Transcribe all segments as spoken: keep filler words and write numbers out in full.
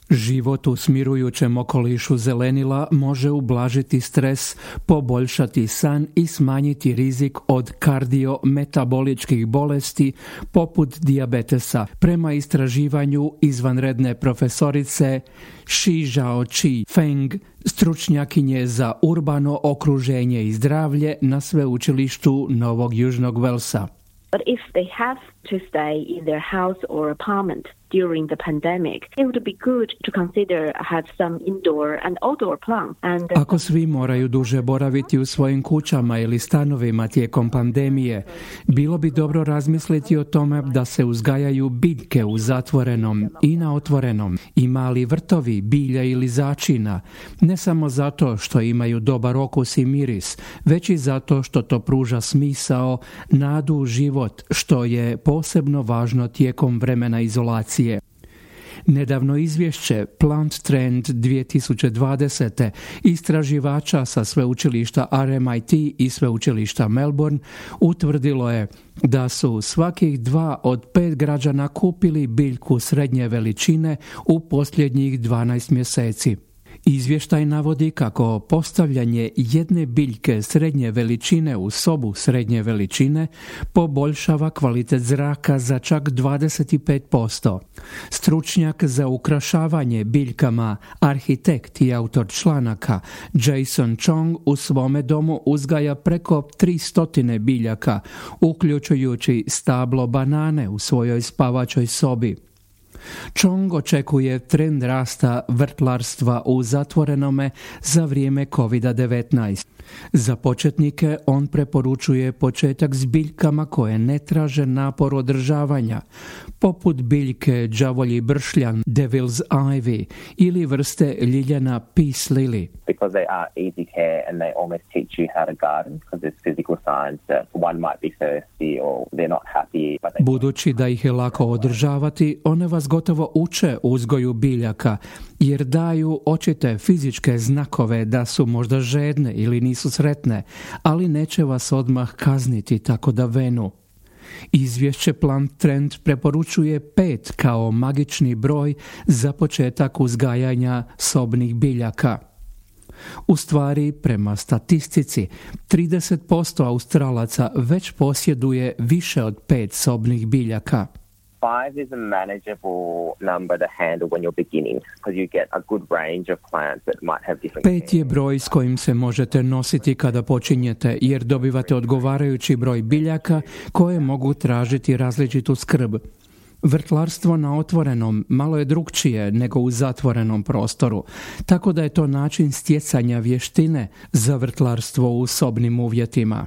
Život u smirujućem okolišu zelenila može ublažiti stres, poboljšati san i smanjiti rizik od kardiometaboličkih bolesti poput dijabetesa, prema istraživanju izvanredne profesorice Shi Zhao-Chi Feng, stručnjakinje za urbano okruženje i zdravlje na sveučilištu Novog Južnog Velsa. But if they have to stay in their house or apartment during the pandemic, it would be good to consider have some indoor and outdoor plants. And Ako svi moraju duže boraviti u svojim kućama ili stanovima tijekom pandemije, bilo bi dobro razmisliti o tome da se uzgajaju biljke u zatvorenom i na otvorenom i mali vrtovi, bilja ili začina, ne samo zato što imaju dobar okus i miris, već i zato što to pruža smisao, nadu u život, što je posebno važno tijekom vremena izolacije. Nedavno izvješće Plant Trend dvije tisuće dvadesete istraživača sa sveučilišta R M I T i sveučilišta Melbourne utvrdilo je da su svakih dva od pet građana kupili biljku srednje veličine u posljednjih dvanaest mjeseci. Izvještaj navodi kako postavljanje jedne biljke srednje veličine u sobu srednje veličine poboljšava kvalitet zraka za čak dvadeset pet posto. Stručnjak za ukrašavanje biljkama, arhitekt i autor članaka Jason Chong u svome domu uzgaja preko tristo biljaka, uključujući stablo banane u svojoj spavačoj sobi. Chong očekuje trend rasta vrtlarstva u zatvorenome za vrijeme kovid devetnaest. Za početnike on preporučuje početak s biljkama koje ne traže napor održavanja, poput biljke đavolji bršljan, Devil's Ivy, ili vrste ljiljana Peace Lily. Because they are easy care and they almost teach you how to garden because there's physical signs that one might be thirsty or they're not happy. But they... Budući da ih je lako održavati, one vas gotovo uče uzgoju biljaka, jer daju očite fizičke znakove da su možda žedne ili nisu sretne, ali neće vas odmah kazniti tako da venu. Izvješće Plant Trend preporučuje pet kao magični broj za početak uzgajanja sobnih biljaka. U stvari, prema statistici, trideset posto Australaca već posjeduje više od pet sobnih biljaka. Five is a manageable number to handle when you're beginning because you get a good range of plants that might have different. Pet je broj s kojim se možete nositi kada počinjete, jer dobivate odgovarajući broj biljaka koje mogu tražiti različitu skrb. Vrtlarstvo na otvorenom malo je drukčije nego u zatvorenom prostoru, tako da je to način stjecanja vještine za vrtlarstvo u sobnim uvjetima.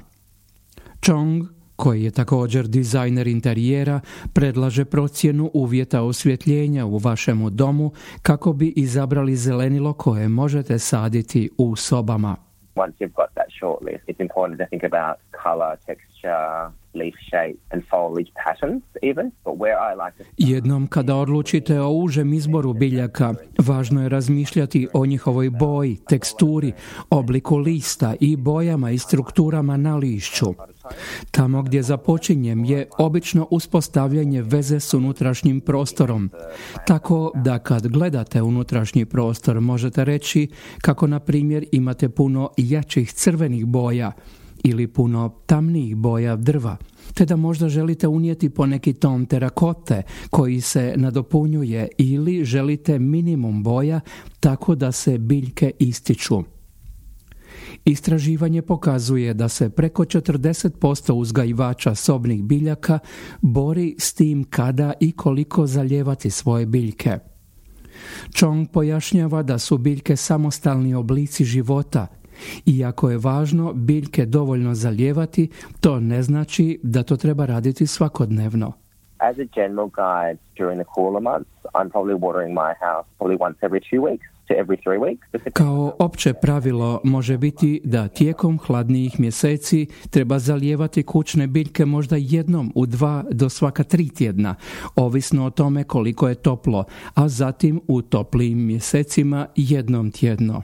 Chong, koji je također dizajner interijera, predlaže procjenu uvjeta osvjetljenja u vašemu domu kako bi izabrali zelenilo koje možete saditi u sobama. Once you've got that short list, it's important to think about color, texture, leaf shape and foliage patterns even. But where I like to... Jednom kada odlučite o užem izboru biljaka, važno je razmišljati o njihovoj boji, teksturi, obliku lista i bojama i strukturama na lišću. Tamo gdje započinjem je obično uspostavljanje veze s unutrašnjim prostorom, tako da kad gledate unutrašnji prostor možete reći kako na primjer imate puno jačih crvenih boja ili puno tamnijih boja drva, te da možda želite unijeti poneki ton terakote koji se nadopunjuje ili želite minimum boja tako da se biljke ističu. Istraživanje pokazuje da se preko četrdeset posto uzgajivača sobnih biljaka bori s tim kada i koliko zalijevati svoje biljke. Chong pojašnjava da su biljke samostalni oblici života. Iako je važno biljke dovoljno zalijevati, to ne znači da to treba raditi svakodnevno. As a general guide, during the cooler months, I'm probably watering my house probably once every two weeks to every three weeks. Kao opće pravilo može biti da tijekom hladnijih mjeseci treba zalijevati kućne biljke možda jednom u dva do svaka tri tjedna, ovisno o tome koliko je toplo, a zatim u toplijim mjesecima jednom tjedno.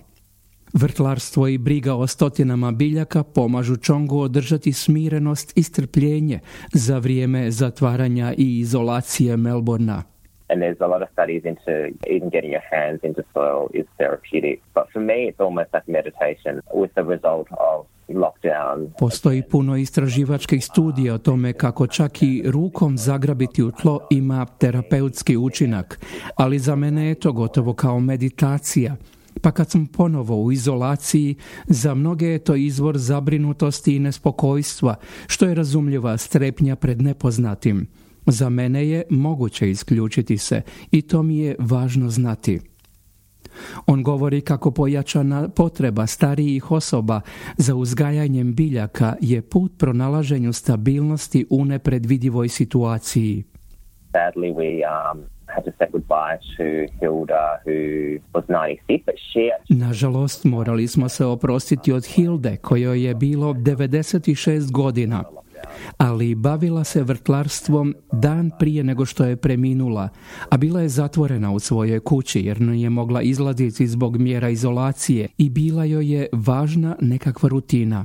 Vrtlarstvo i briga o stotinama biljaka pomažu Chongu održati smirenost i strpljenje za vrijeme zatvaranja i izolacije Melbournea. And there's a lot of studies into even getting your hands into soil is therapeutic. But for me, it's almost like meditation with the result of lockdown. Postoji puno istraživačkih studija o tome kako čak i rukom zagrabiti u tlo ima terapeutski učinak, ali za mene je to gotovo kao meditacija. Pa kad sam ponovo u izolaciji, za mnoge je to izvor zabrinutosti i nespokojstva, što je razumljiva strepnja pred nepoznatim. Za mene je moguće isključiti se i to mi je važno znati. On govori kako pojačana potreba starijih osoba za uzgajanjem biljaka je put pronalaženju stabilnosti u nepredvidivoj situaciji. Sadly, we um, had to say goodbye to Hilda, who was ninety-six, but she... Nažalost, morali smo se oprostiti od Hilde, kojoj je bilo devedeset šest godina. Ali bavila se vrtlarstvom dan prije nego što je preminula, a bila je zatvorena u svojoj kući jer nije mogla izlaziti zbog mjera izolacije i bila joj je važna nekakva rutina.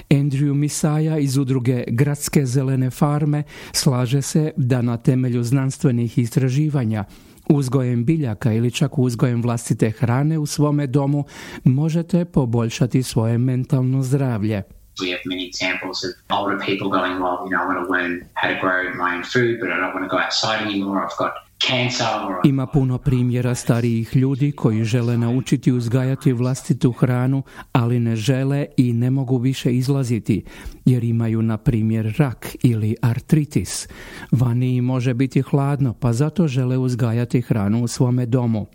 Andrew Misaja iz udruge Gradske zelene farme slaže se da na temelju znanstvenih istraživanja uzgojem biljaka ili čak uzgojem vlastite hrane u svome domu možete poboljšati svoje mentalno zdravlje. We have many examples of older people going, well, you know, I want to learn how to grow my own food, but I don't want to go outside anymore. I've got cancer. Or... Ima puno primjera starijih ljudi koji žele naučiti uzgajati vlastitu hranu, ali ne žele i ne mogu više izlaziti, jer imaju, na primjer, rak ili artritis. Vani može biti hladno, pa zato žele uzgajati hranu u svome domu.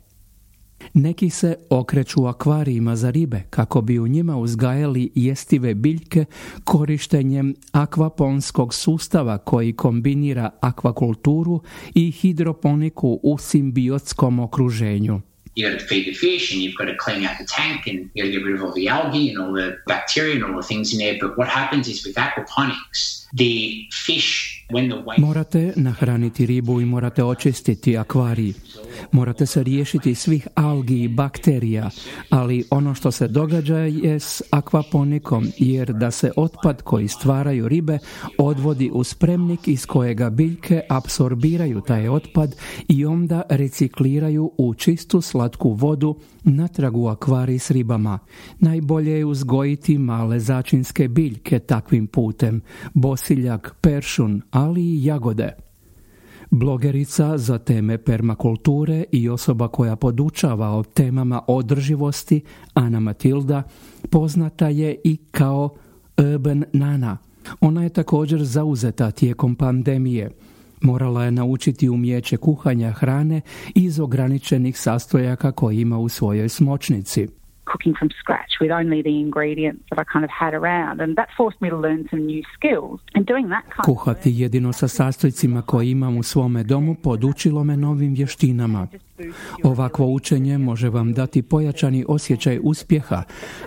Neki se okreću akvarijima za ribe kako bi u njima uzgajali jestive biljke korištenjem akvaponskog sustava koji kombinira akvakulturu i hidroponiku u simbiotskom okruženju. You got to feed the fish and you've got to clean out the tank and you got to get rid of all the algae and all the bacteria and all the things in there. But what happens is with aquaponics, the fish, when the waste... Morate nahraniti ribu i morate očistiti akvarij. Morate se riješiti svih algi i bakterija, ali ono što se događa je s akvaponikom, jer da se otpad koji stvaraju ribe odvodi u spremnik iz kojega biljke apsorbiraju taj otpad i onda recikliraju u čistu slatku vodu natrag u akvarij s ribama. Najbolje je uzgojiti male začinske biljke takvim putem, bosiljak, peršun, ali i jagode. Blogerica za teme permakulture i osoba koja podučava o temama održivosti, Ana Matilda, poznata je i kao Urban Nana. Ona je također zauzeta tijekom pandemije. Morala je naučiti umijeće kuhanja hrane iz ograničenih sastojaka koje ima u svojoj smočnici. Cooking from scratch with only the ingredients that I kind of had around, and that forced me to learn some new skills. And doing that kind Kuhati jedino sa sastojcima koje imam u svome domu podučilo me novim vještinama. Ovakvo učenje može vam dati pojačani osjećaj uspjeha,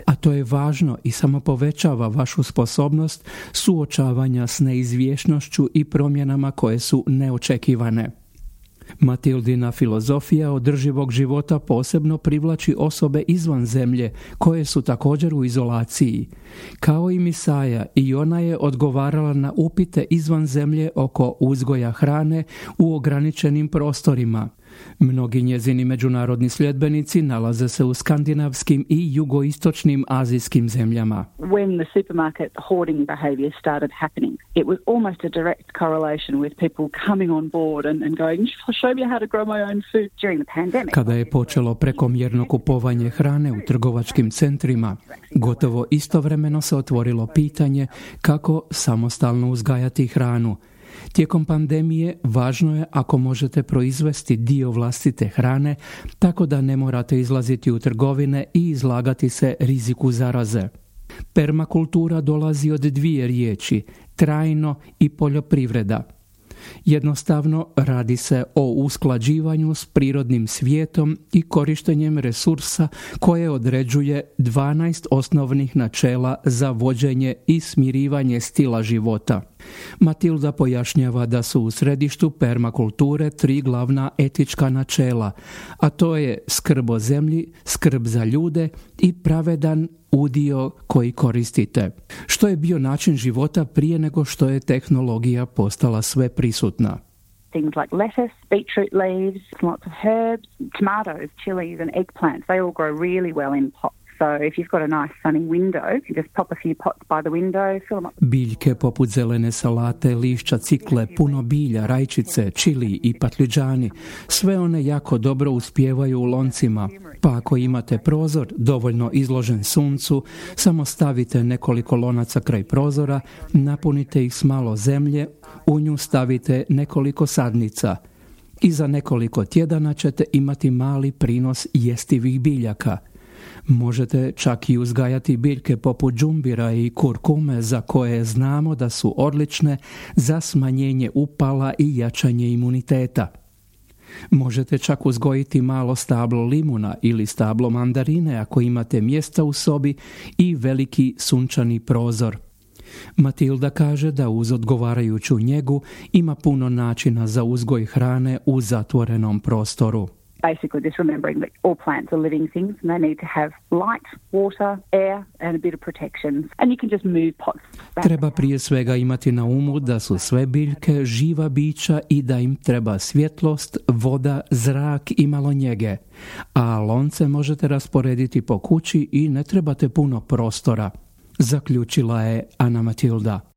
a to je važno i samo povećava vašu sposobnost suočavanja s neizvjesnošću i promjenama koje su neočekivane. Matildina filozofija održivog života posebno privlači osobe izvan zemlje koje su također u izolaciji. Kao i Misaja, i ona je odgovarala na upite izvan zemlje oko uzgoja hrane u ograničenim prostorima. Mnogi njezini međunarodni sljedbenici nalaze se u skandinavskim i jugoistočnim azijskim zemljama. When the supermarket hoarding behavior started happening, it was almost a direct correlation with people coming on board and, and going, show me how to grow my own food during the pandemic. Kada je počelo prekomjerno kupovanje hrane u trgovačkim centrima, gotovo istovremeno se otvorilo pitanje kako samostalno uzgajati hranu. Tijekom pandemije važno je ako možete proizvesti dio vlastite hrane tako da ne morate izlaziti u trgovine i izlagati se riziku zaraze. Permakultura dolazi od dvije riječi, trajno i poljoprivreda. Jednostavno radi se o usklađivanju s prirodnim svijetom i korištenjem resursa koje određuje dvanaest osnovnih načela za vođenje i smirivanje stila života. Matilda pojašnjava da su u središtu permakulture tri glavna etička načela, a to je skrb o zemlji, skrb za ljude i pravedan udio koji koristite, što je bio način života prije nego što je tehnologija postala sve prisutna. things like lettuce, beetroot leaves, lots of herbs, tomatoes, chilies and eggplants. They all grow really well in pots. So if you've got a nice sunny window, you just pop a few pots by the window, fill them up. Biljke poput zelene salate, lišća cikle, puno bilja, rajčice, čili i patlidžani, sve one jako dobro uspijevaju u loncima. Pa ako imate prozor dovoljno izložen suncu, samo stavite nekoliko lonaca kraj prozora, napunite ih s malo zemlje, u nju stavite nekoliko sadnica. I za nekoliko tjedana ćete imati mali prinos jestivih biljaka. Možete čak i uzgajati biljke poput džumbira i kurkume za koje znamo da su odlične za smanjenje upala i jačanje imuniteta. Možete čak uzgojiti malo stablo limuna ili stablo mandarine ako imate mjesta u sobi i veliki sunčani prozor. Matilda kaže da uz odgovarajuću njegu ima puno načina za uzgoj hrane u zatvorenom prostoru. Basically just remembering that all plants are living things and they need to have light, water, air and a bit of protection. And you can just move pots back. Treba prije svega imati na umu da su sve biljke živa bića i da im treba svjetlost, voda, zrak i malo njege. A lonce možete rasporediti po kući i ne trebate puno prostora, zaključila je Ana Matilda.